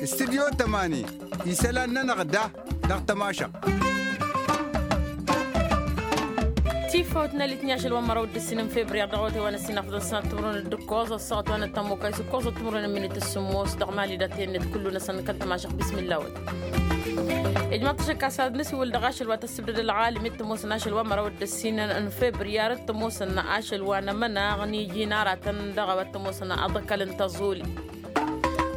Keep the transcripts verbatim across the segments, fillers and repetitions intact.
Studyo tămani isălan-nănăɣ da dăɣ-tămašăɣt. Tifawt n-elitni ašăl wa n-măraw d-ǝssin n-febriyar dăɣ-awătay wa n-ǝssin afḍăn sănat timǝrwen d-ǝkkoẓ ăssaɣăt wa n-ăttămokay s-ǝkkoẓăt timǝrwen n-minit ǝssǝmmos dăɣ-mali d-atennet kullu-năsăn n-kăl-tămašăɣt bismilla-wăt. Ijmăḍ-t ašăk a-s ad-nǝsiwǝl dăɣ-ašăl wa tăssǝbdăd ălɣalim i-t ămoosăn ašăl wa n-măraw d-ǝssin n-febriyar t-ămoosăn ašăl wa n-amănaɣ n-iji n-aratăn dăɣ-a-wa t-ămoosăn aḍăkăl n-tăẓuli.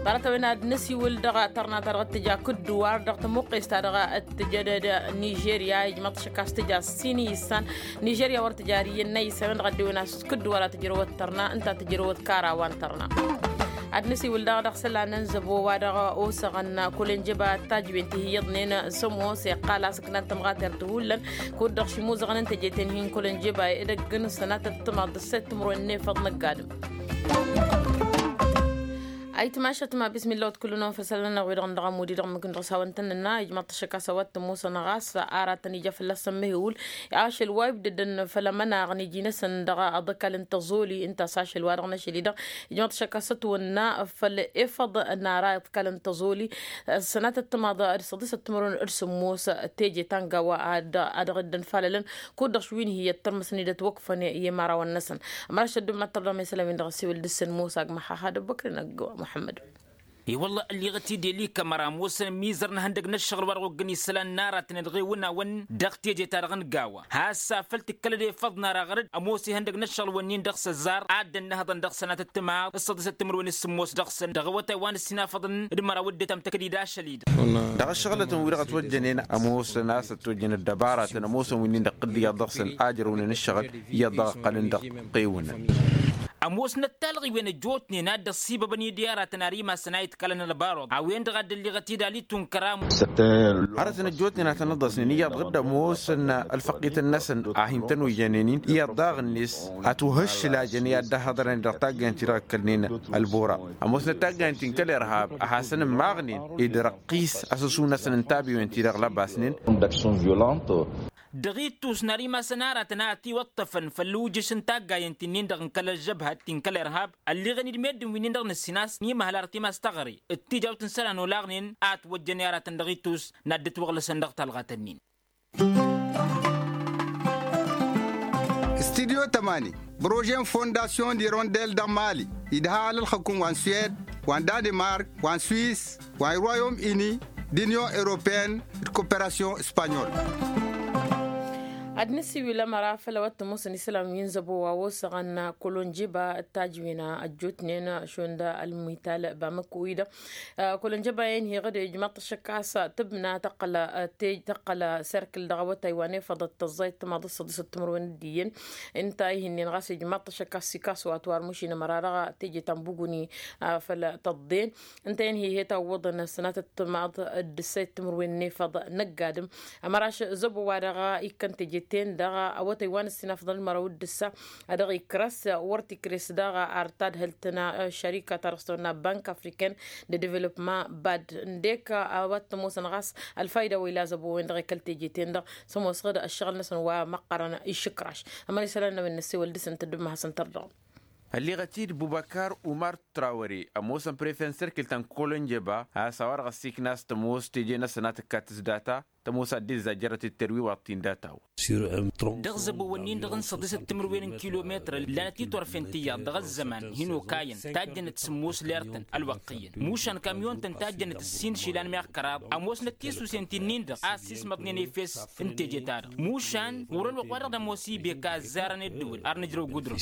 Ḍarăt-a-wen ad-nǝsiwǝl dăɣ-tărna-ta-dăɣ t-tǝja kǝddǝwar dăɣ-tămuqqes-ta-dăɣ t-tǝjădăd nižerya ijmăḍ-t ašăk a-s tǝja ǝssin i-issan. Nižerya wăr tǝjar iyyăn n-a issan-wen-dăɣ ăddewăn a-s kǝddǝwar a tǝjrăwăt tărna ǝnta tǝjrăwăt kara wa n-tărna. Ad-nǝsiwǝl daɣ dăɣ-isălan n-zăbo wa-dăɣ osăɣăn kăl-enjeba tajwen ti hi-iyyăḍnen s-ămoos iqqal a-s ǝknan tămɣatert hullan. Kud-dăɣ šimuzăɣăn n-teje-ten-hi n-kăl-enjeba edăgg n-sănatăt timaḍ d-ǝssăy timǝrwen n-efăḍ n-ăgg-adǝm. Ayǝtmašăt ma bismilla-wăt kullu-năwăn făll-isălan-nănăɣ wi-dăɣ n-dăɣ-amudi dăɣ-mǝkǝn dăɣ-s hawăn-tăn-nǝnna ijmăḍ-t ašăk a-s a-wa t-ămoosăn ɣas aratăn ija fălla-săn mehewǝl. Ašăl wa ibdădăn făll-amănaɣ n-iji-năsăn dăɣ-aḍăkal n-tăẓoli ǝnta a-s ašăl wa dăɣ-năšăl-i-dăɣ ijmăḍ-t ašăk a-s ătwănna făll-efăḍ n-ara iḍkal n-tăẓoli. Sănatăt timaḍ d-săḍisăt timǝrwen d-sǝmmos teje ta n-gawa a dăɣ-dd-ănfalălăn kud-dăɣ š-wi n-hi-iyyăt tărmăsăn-dd ătwăkfăn i-imărawăn-năsăn. Ămăraš ăddumm ad-tărdăm isălan-win-dăɣ ăssiwǝl dăɣ-săn musa agmăxaxa d-ăbbăkrăn ăgg muḥămmăd. I-wălla ălliɣăt-dd i-likămăra ămoosăn ămmizăr n-ihăndăg n-ăššăɣǝl wa dăɣ-oggăn isălan n-aratăn d-iɣewǝnawăn dăɣ-teje-ta-dăɣ n-gawa has-afăl tǝkkălăd efăḍ n-ara ɣăr-dd ămoos ihăndăg n-ăššăɣǝl-wǝnnin dăɣ-s ăzzar. Ad-dd-ănnăhăḍăn dăɣ-sănatăt timaḍ s-săḍisăt timǝrwen s-sǝmmos dăɣ-săn dăɣ-awătay wa n-ǝssin afăḍăn d-măraw dd-ătamtăkăd-dd ašăl-i-dăɣ. Dăɣ-ăššăɣlătăn-wi-dăɣ ătwăjjănen ămoosăn a-s ătwăjjănăt dăbaratăn ămoosăn winnin dăɣ-tǝddǝyaḍ dăɣ-săn a ǝjrăwnen ǝššăɣǝl iyyăḍ dăɣ-ăqqălăn dăɣ-ăqqewǝnăn. Ămoosnăt talɣiwen ăjjootnen a dd-ăṣṣibăbăn i-dd i-aratăn ar imasăn a iḍkalăn ălbaruḍ a-wen-dăɣ a dd-ălliɣăt-dd alitunkăra. Hărătăn ăjjootnen a tăn-ăḍḍăsnen iyyăḍ dăɣ-dd-ămoosăn ălfăqqităn-năsăn a hin-tăn-ojjănen-in iyyăḍ daɣ-net. Ătwăhǝššǝlajăn i-ad-dd-ăhhăḍărăn dăɣ-taggayăn-ti-dăɣ ǝkkălnen ălbura. Ămoosnăt taggayăn-ti n-kăl-irhab a hasăn-ǝmmaɣnen ed răqqis asǝsu-năsăn n-tabiwen-ti-dăɣ lăbasnen. Dăɣ-ittus n-ar imasăn aratăn a ătiwăṭṭăfăn făll-ujǝš n-taggayăn-ti-nin-dăɣ n-kăl-ălžăbhăt ti n-kăl-irhab ălliɣăn-dd meddǝn wi-nin-dăɣ n-ǝssin a-s n-imăhăl arăt imas teɣăre d-tijawt n-isălan olaɣnen a ătwăjjăn i-aratăn dăɣ-ittus n-ad-dd-ătwăɣlăsăn dăɣ-talɣat-nin. Studyo tămani bărože n-fondasyon d-irondel dăɣ-mali idha alălxăkum wa n-suwed wa n-danimark wa n-swis wa n-royom ini d-inyon europeyăn d-koperasyon spanyol. Ad-nǝsiwǝl ămăra făll-a-wa t-ămoosăn isălan wi n-zăbo wa osăɣăn kolonjeba d-tajwen ăjjootnen šund ălmital bamăkko-i-dăɣ. Kolonjeba-en heɣăd ijmaḍ-t ăššăk a-s tǝbna tăqqăl tăqqăl serkǝl dăɣ-awătay wa n-efăḍăt tăẓẓayt timaḍ d-săḍisăt timǝrwen d-iyyăn. Ǝnta a ih'-ǝnnin ɣas ijmaḍ-t ăššăk a-s ikasu atwar mušin ămăra dăɣ-teje ta n-buguni făll-tăḍḍen. Ǝnta-en hi-he-tawwăḍăn sănatăt timaḍ d-ǝssăyăt timǝrwen n-efăḍ n-ăgg-adǝm. Ămăraš zăbo-wa-dăɣ ikkăn teje-ten-dăɣ awătay wa n-ǝssin afḍăn d-măraw d-ǝssa a dăɣ-ikrăs wăr t-ikres daɣ ar tadhǝlt n-ăššărika ta dăɣ-s tăwănna bank afriken de development bad ǝndek a-wa t-ămoosăn ɣas ălfayda wa ila zăbo-wen-dăɣ i-kăl-teje-ten-dăɣ. S-ămoosăɣ-dd ăššăɣǝl-năsăn wa măqqărăn išǝkraš. Ămăra isălan n-a-wen n-ăssewăl dăɣ-săn tăddǝm ma hasăn-tărdăɣăm. Ălliɣăt-dd bubăkar umar trawăre ămoosăn prefe n-sărkǝlt ta n-kolănjeba a-s a-wa dăɣ-ăssiikna a-s tămoos teje-năsăn a tǝkkat s-data tămoos ad-dd-izzajjărăt d-terwiwaḍt-in data-wăn. Dăɣ-zăbo-wǝnnin-dăɣ n-săḍisăt timǝrwen n-kilometăr ǝllanăt itwărfen tiyyăḍ dăɣ-ăzzăman hin-okayăn tajjănăt sǝmmos lertăn ălwăqq iyyăn mušan kamyon-tăn tajjănăt ǝssin išilan meɣ kăraḍ. Ămoosnăt tisusen ti-nin-dăɣ a ăssiismăḍnen efes n-teje-ta-dăɣ mušan ɣur-ălwăqq wa dăɣ-nămoos ibek a ăzzarăn ăddǝwǝl ar nǝjrăw gudrun.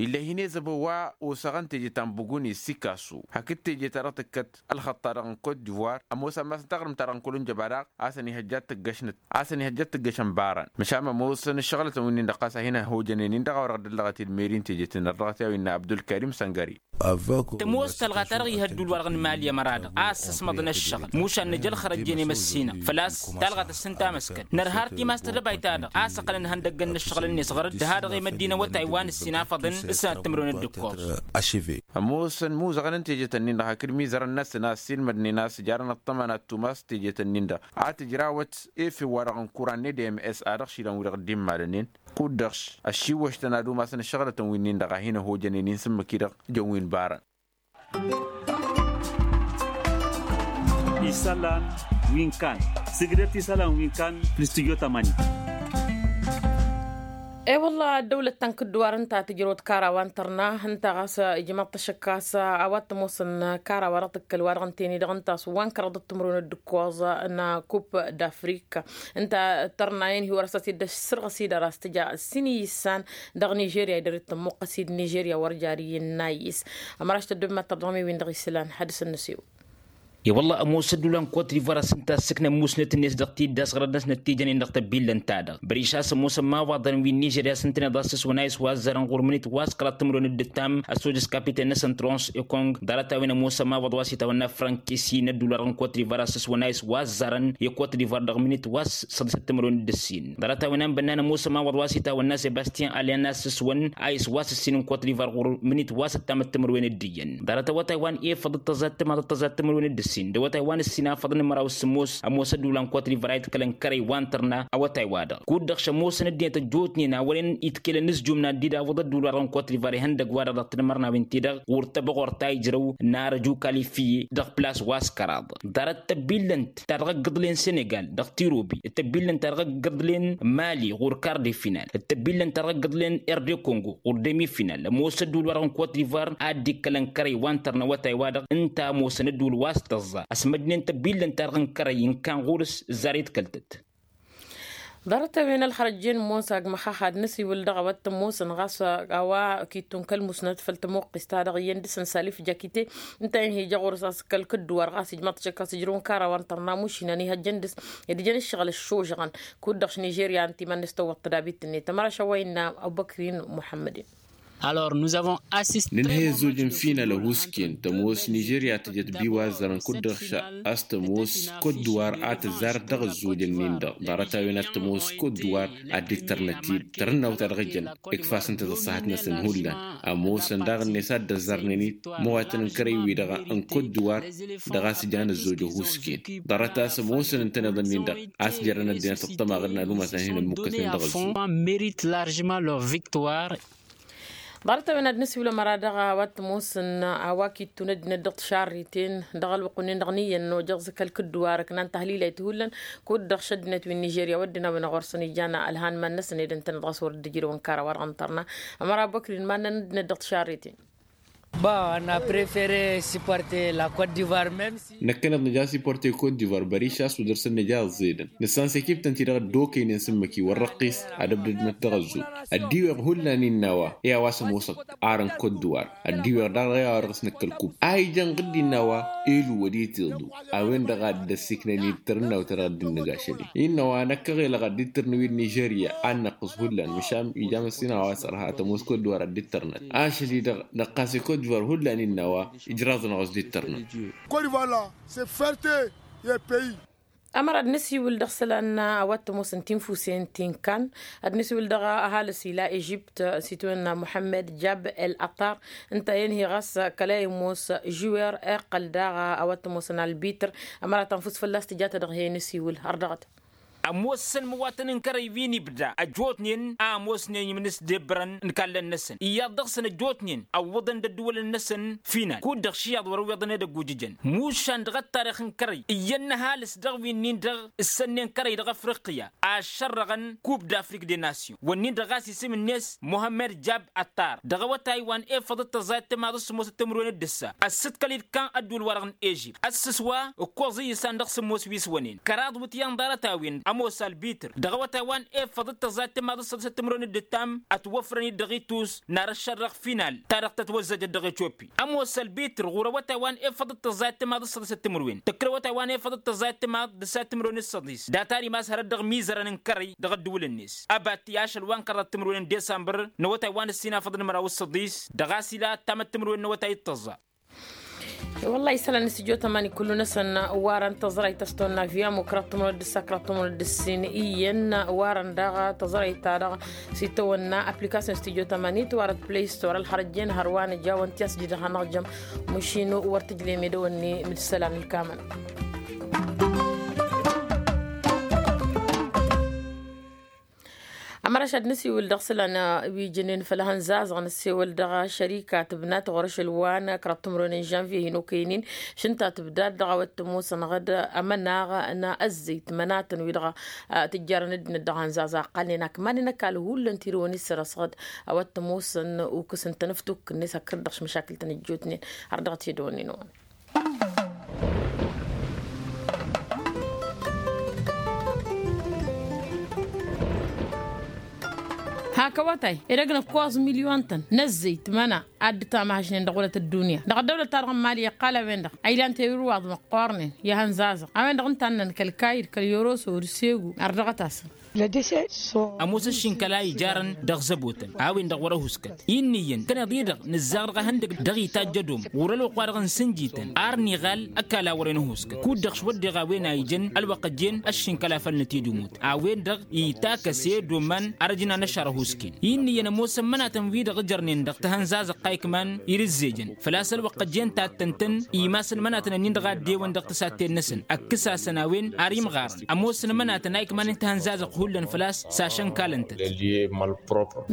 Ill'-e hin-e zăbo wa osăɣăn teje ta n-buguni s-ikasu hakd teje-ta-dăɣ tǝkkăt ălxăṭṭa-dăɣ n-kot divoir ămoos ammas n-taɣrǝmt-ta-dăɣ n-kăl-unjăba daɣ a-s ănihăjja d-tǝggăšăn baran. Măšan ămoosăn ǝššăɣǝlătăn wi-nin-dăɣ ɣas a hin-ăhhojănen-in-dăɣ a-wa dăɣ-dd-ăllăɣăt-dd meri n-teje-ten-dăɣ dăɣ-t i-a-wa innă abdulkarim săngări. Tămoos talɣa-ta-dăɣ ihăddul-wa-dăɣ n-mali ămăra-dăɣ a ăssăsmăḍăn ăššăɣǝl mušan nǝja ălxărăjjen i-măssinăɣ făl-a-s talɣa tăssǝnta amăskăl nărha ar timas-tădăbayt-ta-dăɣ a-s ăqqălăn ihăndăggăn n-ăššăɣǝl-net ɣăr-dd ha-dăɣ i-măddinăwătay wa n-ǝssin afăḍăn s-sănat timǝrwen d-ǝkkoẓ. Ămoosăn imuzăɣăn n-teje-tăn-in-dăɣ hakd imizărăn-năsăn a ăssiilmădnen a-s ǝjarăn ăṭṭăma n-ad-tumas teje-tăn-in-dăɣ a tǝjrawăt efew-wa-dăɣ n-kuran n-edms a dăɣ-išilan wi-dăɣ dd-immalănen. Kud-dăɣ ăššiwwăš-tăn ad-umasăn ǝššăɣǝlătăn wi-nin-dăɣ a hin-ăhojănen i-n sǝmmǝk-i-dăɣ jăn wi n-barăn. Isălan wi n-kan sǝgdăt isălan wi n-kan. Fǝlǝs tǝjjo tămani. E-wălla ăddăwlăt ta n-kǝddǝwar ǝnta tǝjrăwăt kara wa n-tărna ǝnta ɣas ijmăḍ-t ašăk a-s a-wa t-ămoosăn kara wa dăɣ-tǝkkăl wa dăɣ-ǝnta-en-i-dăɣ ǝnta a-s wa n-kăraḍăt timǝrwen d-ǝkkoẓ n-kup d-afrik. Ǝnta tărna-en hi-wăr-ăsas-dd ăssărɣǝs-i-dăɣ a-s tǝja ǝssin iyyǝssan dăɣ-nižerya i-dăr-dd tămmuqqăs-dd nižerya wăr jar iyyăn n-ayyǝs. Ămăraš tăddob mad-tărdăɣ mi-win-dăɣ isǝlan had-dăɣ s-ănnăsew. I-wălla ămoos ădduul wa n-kot divar a-s ǝnta ăssǝknăn musnăt-net dăɣ-tiddas ɣărăt-năsnăt tijănen dăɣ-tăbbillăn-ta-dăɣ băriš a-s ămoosăn mawaḍăn wi n-nižerya a-s ǝntăneḍ a-s s-wăn a iswazzarăn ɣur-mǝnit wa s-kăraḍ timǝrwen d-ǝttam ăssojăs kapiten-năsăn trons ekong. Ḍarăt-a-wen ămoosăn mawaḍ wa s-itawănna frankisi n-ădduul wa dăɣ-n kot divar a-s s-wăn a iswazzarăn i-kot divar dăɣ-mǝnit wa s-săḍisăt timǝrwen d-ǝssin. Ḍarăt-a-wen a n-bănnan ămoosăn mawaḍ wa s-itawănna sebastyan alyan a-s s-wăn a iswasǝssin n-kot divar ɣur-mǝnit wa s-ăttamăt timǝrwen d-iyyăn. Ḍarăt awătay wa n-efăḍ d-tăẓat timaḍ d-tăẓat timǝrwen d-ǝssin d-awătay wa n-ǝssin afăḍ n-măraw s-ămoos ămoos ădduul wa n-kot divar a iḍkălăn kărăy wa n-tărna. Awătay-wa-dăɣ kud-dăɣ šămoosăn ăddinăt ăjjootnen a wărăn iḍkelen n-ǝzjum n-ad-dd-awǝḍ ădduul wa dăɣ-n kot divar ihăndăg-wa-dăɣ dăɣ-tinmărnawen-ti-dăɣ ɣur-tăbăɣort ta ijrăw n-arăju kalifiye dăɣ-plas wa s-kăraḍ. Ḍarăt tăbbillănt ta dăɣ-ăggǝḍlen senegal dăɣ-tirobi d-tăbbillănt ta dăɣ-ăggǝḍlen mali ɣur-kar de final d-tăbbillănt ta dăɣ-ăggǝḍlen erde kongo ɣur-demi final ămoos ădduul wa dăɣ-n kot divar ad-dd-ikkălăn kărăy wa n-tărna awătay-wa-dăɣ ǝnta ămoosăn ădduul wa s-tăẓẓa. Ăsmăjnen tăbbillănt ta dăɣ-n kărăy n-kan ɣur-s ǝzzar i-dd-kăl-tăt. Ḍarăt-a-wen ălxărăt jen ămoos agmăxax ad-năsiwǝl dăɣ-a-wa t-ămoosăn ɣas a-wa kittu n-kăl-musnăt făll-tămuqqist-ta-dăɣ iyyăn dăɣ-săn salif jakite. Ǝnta-en hi-ija ɣur-s a-s kăl-kǝddǝwar ɣas ijmăḍ-t šăkk a-s ǝjrǝwăn kara wa n-tărna mušinăn ihăjjăn dăɣ-s ed ǝjăn ǝššăɣǝl ăššožăɣăn. Kud-dăɣ š-nižerya ǝnta iman-net tăwwăḍ tădabit-net ămăra šăwway n-abubăkrin muḥămmăden. Alors nous avons assisté. Nǝnhăy ăzzoj n-final ăhuusken tămoos nižerya tǝjăt biwazzărăn kud-dăɣ ša a-s tămoos kot-dǝwar a tǝzzarăt dăɣ-ăzzojăn-nin-dăɣ ḍarăt-a-wen ad-tămoos kot-dǝwar ad-dd-tărnăt-dd tărǝnnaw-ta-dăɣ ǝjăn. Ikfasăn-t ad-ăṣṣahăt-năsăn hullan ămoosăn daɣ-net ad-dd-ăzzarnen-dd măwatăn n-kărăy-wi-dăɣ n-kot-dǝwar. Dăɣ-a-s jan ăzzoj ăhuusken ḍarăt a-s ămoosăn ǝntăneḍ-nin-dăɣ a-s jărăn ăddinăt ăṭṭămaɣ d-inadumătăn hin-ămmukkăsnen dăɣ-ăzzoj. Mérite largement leur victoire. Ḍarăt-a-wen ad-nǝsiwǝl ămăra dăɣ-a-wa t-ămoosăn a-wa kittun ăddinăt dăɣ-tišarriten dăɣ-ălwăqq-nin-dăɣ n-iyyăn ănojăɣ s-kăl-kǝddǝwar ǝknan tahlilayt hullan. Kud-dăɣ šăddinăt wi n-nižerya wădden a-wen ăɣur-săn ijan ălhan iman-năsăn ed ǝntăneḍ ɣas wăr dd-ǝjrǝwăn kara wa dăɣ-n tărna. Ămăra băkrin iman-nănăt ăddinăt dăɣ-tišarriten. Bon, on a préféré supporter la Côte d'Ivoire même si. Năkkăneḍ nǝja supporter Côte d'Ivoire băriš a-s wăr dăr-săn nǝja ăẓẓedăn nǝssan s-ekiptăn-ti-dăɣ ăddookăynen s-ǝmmǝk-i wăr răqqis. Ad-ăbdădnăt dăɣ-ăzzul ăddiweɣ hullan innă a-wa i-a-wa s-ămoosăɣ arăn Côte d'Ivoire. Ăddiweɣ daɣ i-a-wa dăɣ-s năkk ălkub a ijăn ɣǝdd innă a-wa elu wăr-itiḍu a-wen-dăɣ a dd-ăssiknăn-dd tărǝnnawt-ta-dăɣ dd-innă ašăl-i innă a-wa năkkăɣ elăɣ ad-dd-tărnǝw-dd nižerya ad-năqqǝs hullan măšan ijam ăssin a-wa s-ărha tămoos Côte d'Ivoire ad-dd-tărnăt ašăl-i-dăɣ. Năqqas i-Côte d'Ivoire hullan innă a-wa ijraḍ-năɣ a-s dd-tărnăt. Côte d'Ivoire la c'est fierté. Ămăra ad-năsiwǝl dăɣ-isălan a-wa t-ămoosăn tinfusen ti n-kan ad-năsiwǝl dăɣ-ăhalǝs ila ežipt s-itwănna muḥămmăd jab el-ăṭṭar. Ǝnta-en hi-ɣas kăla imoos žuwer iqqăl daɣ a-wa t-ămoosăn albitr. Ămăra tanfus fălla-s tǝja-ta-dăɣ he-năsiwǝl har dăɣ-t. Ămoosăn măwatăn n-kărăy wi n-ibda ăjjootnen a ămoosnen imnǝsdebrăn n-ikallăn-năsăn iyyăḍ dăɣ-săn ăjjootnen ăwwăḍăn d-ăddǝwălăn-năsăn. Final kud-dăɣ š-iyyăḍ wăr-ăwweḍăn edăgg ujǝjăn mušan dăɣ-ăttarix n-kărăy iyyăn n-ăhalǝs dăɣ-wi-nin-dăɣ ǝssănnen kărăy dăɣ-afriqya a ăššărrăɣăn coupe d'afrique des nations wănnin-dăɣ ɣas isǝm-net muhămmăd jab ăttar dăɣ-awătay wa n-efăḍ d-tăẓẓayăt timaḍ s-sǝmmosăt timǝrwen d-ǝssa ăssǝtkăl-dd kan ădduul-wa-dăɣ n-ežipt ăssǝs wa ǝkkoẓ iyyǝsan dăɣ-sǝmmos wi s-wănen kăraḍ wǝtyan ḍarăt-a-wen ămoos albitr dăɣ-awătay wa n-efăḍ d-tăẓẓayăt timaḍ s-săḍisăt timǝrwen d-ǝttam ătwăfrăn-dd dăɣ-itus n-ar ăššărrăɣ final ta dăɣ-tătwăzzăjăt dăɣ-etiopi ămoos albitr ɣur-awătay wa n-efăḍ d-tăẓẓayăt timaḍ s-săḍisăt timǝrwen tǝkrǝwătay wa n-efăḍ d-tăẓẓayăt timaḍ d-ǝsat timǝrwen d-săḍis data-ri ma s-hărăt dăɣ-imizărăn n-kărăy dăɣ-ăddǝwǝl-net. Abat i-ašăl wa n-kăraḍăt timǝrwen n-desambăr n-awătay wa n-ǝssin afăḍăn măraw d-săḍis dăɣ-a-s ila ăttamăt timǝrwen n-awătay d-tăẓẓa. Wăllah isălan n-studyo tămani kullu-năsăn warăn tăẓrayt a-s tăwănna via mukra tămănăt d-ǝssa kra tămănăt d-ǝssin iyyăn warăn daɣ tăẓrayt-ta-dăɣ s-itawănna application studyo tămani tăwarăt play store ălxărăjjen hărwa nǝjawăn ti a-s jidăɣ-hanăɣ-jăm. Măšinu wăr tǝjlem edăwănni mǝd isălan ǝlkamăn. Ɣărăš ad-nǝsiwǝl dăɣ-isălan wi jănen făll-ehăn zazăɣ nǝsewăl dăɣ-ašărika tǝbnat ɣur-ašăl wa n-kăraḍ timǝrwen n-žănvye hin-okăynen. Šǝnta tǝbdad dăɣ-a-wa t-ămoosăn ɣǝd amănaɣ n-ăzzăyt mănatăn wi-dăɣ tǝjjarăn ăddinăt dăɣ-ehăn zazăɣ ăqqalnen akmanen ăkall hullan tirǝwăn-i sărăsɣăd. A-wa t-ămoosăn ukǝs n-tanăftuk-net hakd-dăɣ šmăšakǝl-tăn ăjjootnen. Har dăɣ-t edăwănnen wa hak awătay edăgg n-ǝkkoẓ milyon-tăn n-ăzzăyt măna. Ad-dd-tamăhăšnen dăɣ-wălăt ăddunya dăɣ-ăddăwlăt-ta-dăɣ n-mali iqqal a-wen-dăɣ a ilan tewirwaḍ măqqoornen i-ehăn zazăɣ a-wen-dăɣ ǝnta a ǝnnăn kăl-kayǝd kăl-yoroso d-segu ar dăɣ-t-asăn. Ămoos ăššinkăla ijarăn dăɣ-zăbotăn a-wen-dăɣ wăr-ăhuskăt. Innă iyyăn kăneḍ-i-dăɣ nǝzzaɣ dăɣ-ehăndăg dăɣ-itajj ădom ɣur-ălwăqq-wa-dăɣ n-sǝnjităn ar n-iɣal ăkall a wăren ăhuskăt kud-dăɣ s-wădden a-wen a ijăn ălwăqq ăjjeen ăššinkăla făll-năt i-dd-imut. A-wen-dăɣ itakăs i-dd-omman ar ăjnan ăššar ăhuusken. Innă iyyăn ămoosăn mănatăn-wi-dăɣ ǝjărnen dăɣ-tihănzazăɣt ta ikman irǝzzejăn făl-a-s ălwăqq ăjjeen tattăn-tăn imasăn mănatăn ǝnnin-dăɣ a dd-ewăn dăɣ-tǝsatten-năsăn ăkkăs-asăn a-wen ar imɣarăn ămoosăn mănatăn a ikmanen tihănzazăɣt hullan făl-a-s s-ašănkalăn-tăt.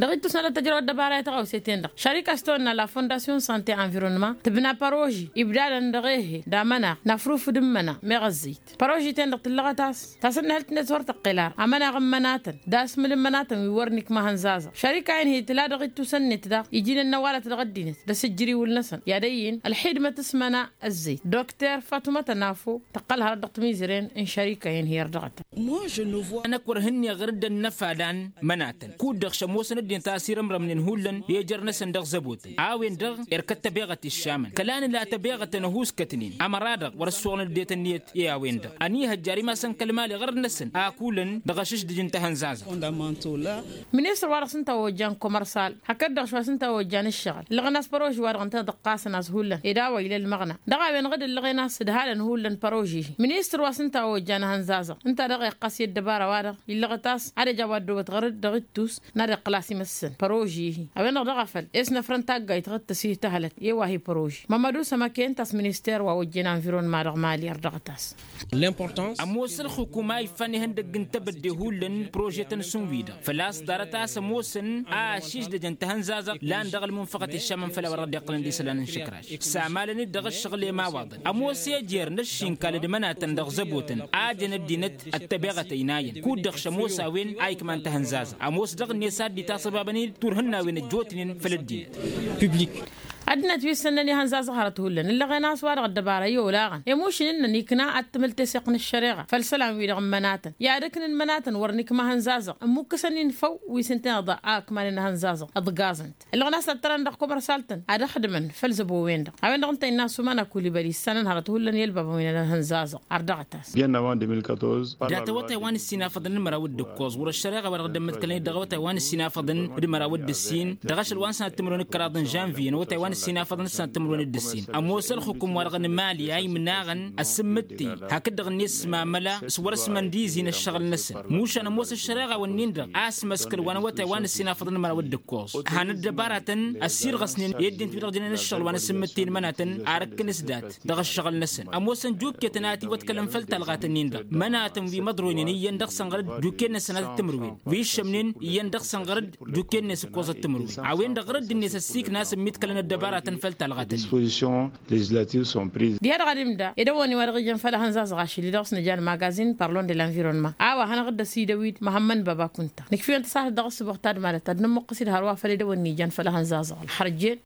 Dăɣ-ittus n-ad-tăjrăw ăddăbara i-tăɣawse-ten-dăɣ šărik a-s tăwănna la fondasyon sante environnement tǝbna păroži ibdadăn dăɣ-ehe d-amănaɣ n-afrufǝd n-imăna meɣ ăzzăyt. Păroži-ten-dăɣ tǝllăɣăt a-s tasǝnnǝhǝlt-net wăr tăqqel ara amănaɣ n-imănatăn d-asmǝl n-imănatăn wi wăr nikma hănzazăɣ šărik a inhǝy tǝla dăɣ-ittusăn-net daɣ iji n-ănnăwalăt dăɣ-ăddinăt d-asǝjjǝriwǝl-năsăn i-ad-ăyyin ălxidmăt s-imăna. Ăzzăyt dokter fatuma tănafo tăqqăl hărăt dăɣ-timizren n-šărik a inhǝy ărdăɣăt. Anăk wăr hǝnneɣ ɣăr dd-ănnăfalăn mănatăn kud-dăɣ šămoosăn ăddinăt a ăsirămrămnen hullan i-ejăr-năsăn dăɣ-zăbotăn a-wen-dăɣ erkăt tăbeɣăt iššamăn kăla nǝla tăbeɣătăn ăhuuskătnen ămăra-dăɣ wăr-ăssoɣnăn ăddinăt-net i-a-wen-dăɣ ănihăjjar imasăn kăl-mali ɣărăt-năsăn akulăn dăɣ-ašǝšdǝj n-tahănzazăɣt. Ministăr-wa-dăɣ s-ǝnta a ojjan komărsal hakd-dăɣ šwa s-ǝnta a ojjan ǝššăɣǝl ǝllăɣăn a-s păroži-wa-dăɣ ǝnta a dăɣ-ɣasăn a-s hullan ed a-wa ila ălmăɣna dăɣ-a-wen ɣǝd ǝllăɣen a-s ǝdhalăn hullan păroži-hi. Ministăr wa s-ǝnta a ojjan ahănzazăɣ ǝnta a dăɣ-iqqas i-ăddăbara-wa-dăɣ illăɣăt a-s ad-ăj a-wa ăddoobăt ɣăr-dd dăɣ-ittus n-ad-iqqǝl a-s imăssăn păroži-hi. A-wen-dăɣ dăɣ-afăl e-s năfrăn taggayt ɣǝd tăsih tahălăt i-wa hi-păroži mămădu sămăke ǝnta a-s minister wa ojjen anvironma dăɣ-mali ărdăɣăt a-s. Ămoos ălxǝkum a iffan ihăndăgg n-tebădde hullan prožetăn s-ǝnwi-dăɣ făl-a-s ḍarăt a-s ămoosăn a ăšišdăjăn tahănzazăɣt lan dăɣ-ălmunfăɣăt iššamăn făll-a-wa dăɣ-dd-iqqălăn d-isălan n-išǝkraš. Samalăn-dd dăɣ-ǝššăɣǝl i-imawaḍăn ămoos ejăr n-ăššinkal d-mănatăn dăɣ-zăbotăn a jăn ăddinăt ăttăbeɣăt ăynayăn kud-dăɣ šămoos a-wen a ikman tahănzazăɣt ămoos dăɣ-net a dd-itasăbabăn-dd turhǝn n-a-wen ăjjootnen făll-ăddinăt. Ăddinăt wi ǝssănnăn i-ihănzazăɣ hărăt hullan ǝllăɣen a-s wa-dăɣ ăddăbara i-olaɣăn i-mušǝn ǝnnăn ikna ad-tǝmǝl teseɣt n-ăššăreɣa făll-isălan-wi-dăɣ n-imănatăn i-ad-ǝknǝn imănatăn wăr nǝkma ahănzazăɣ ǝmmukǝsăn-in făw wi s-ǝnta-en-dăɣ a ǝkmanen ahănzazăɣ ǝḍgaẓăn-t ǝllăɣen a-s tattărăn dăɣ-komărsal-tăn ad-ăxdǝmăn făll-zăbo-wen-dăɣ. A-wen-dăɣ ǝnta innă ăsumana kulibăli ǝssanăn hărăt hullan i-ălbabăn wi n-ad-hănzazăɣ ardăɣăt-as. Datăwătay wa n-ǝssin afăḍăn d-măraw d-ǝkkoẓ wăr-ăššăreɣa wa dăɣ-dd-ămmăḍkălăn-dd dăɣ-awătay wa n-ǝssin afăḍăn d-măraw d-ǝssin dăɣ-ašăl wa n-sănat timǝrwen d-kăraḍ n-žănviye n-awătay wa n-ǝssin afăḍăn d-sănat timǝrwen d-ǝssin. Ămoos ălxǝkum-wa-dăɣ n-mali a imnaɣăn asǝmmǝttǝy hakd-dăɣ-net s-mamăla s-wăr-ăsmăndizin ăššăɣǝl-năsăn mušan ămoos ăššăreɣa-wǝnnin-dăɣ a ăsmăskăl wa n-awătay wa n-ǝssin afăḍăn d-măraw d-ǝkkoẓ han ăddăbaratăn ăssirɣăsnen i-ăddinăt wi-dăɣ jănen ǝššăɣǝl wa n-asǝmmǝttǝy n-imănatăn ar ǝkkǝn s-dat dăɣ-ǝššăɣǝl-năsăn ămoosăn jukketăn a ătiwăḍkălăn făll-talɣat-nin-dăɣ mănatăn wi măḍroynen iyyăn dăɣ-săn ɣăr-dd jukken-năsăn a tǝttǝmrǝwen wi ǝššămnen iyyăn dăɣ-săn ɣăr-dd jukken-net ǝkkoẓăt timǝrwen. A-wen-dăɣ ɣǝr-dd-net ăssiikna asǝmmit kălăn ăddăbaratăn făll-talɣat-nin. Diha-dăɣ ad-imda edăwănni wa dăɣ-ijăn făll-ehănzazăɣ ašăl-i dăɣ-s nǝja ălmagazin parlon de l-anvironnement a-wa hanăɣ-dd-ăsidăwid măhămmăn baba kunta. Nǝkf'-iwăn tăsahtăt dăɣ-ǝssǝboɣ tadmalăt ad-nǝmmuqqǝs-dd hărwa făll-edăwănni ijăn făll-ehănzazăɣ ălxărjen.